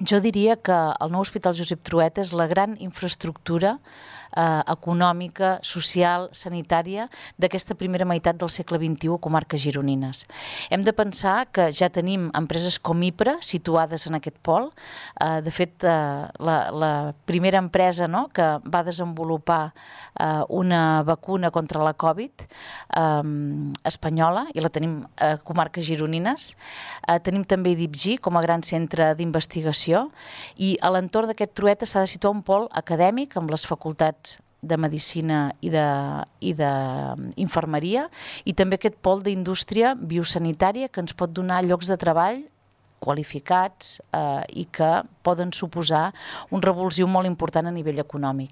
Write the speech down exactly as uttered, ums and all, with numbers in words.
Jo diria que el nou Hospital Josep Trueta és la gran infraestructura eh, econòmica, social, sanitària d'aquesta primera meitat del segle vint-i-u a comarques gironines. Hem de pensar que ja tenim empreses com IPRA situades en aquest pol. Eh, de fet, eh, la, la primera empresa, no?, que va desenvolupar eh, una vacuna contra la Covid eh, espanyola, i la tenim a comarques gironines. Eh, tenim també I D I P G com a gran centre d'investigació, i a l'entorn d'aquest Trueta s'ha de situar un pol acadèmic amb les facultats de Medicina i de, i de Infermeria, i també aquest pol d'indústria biosanitària que ens pot donar llocs de treball qualificats eh, i que poden suposar un revulsiu molt important a nivell econòmic.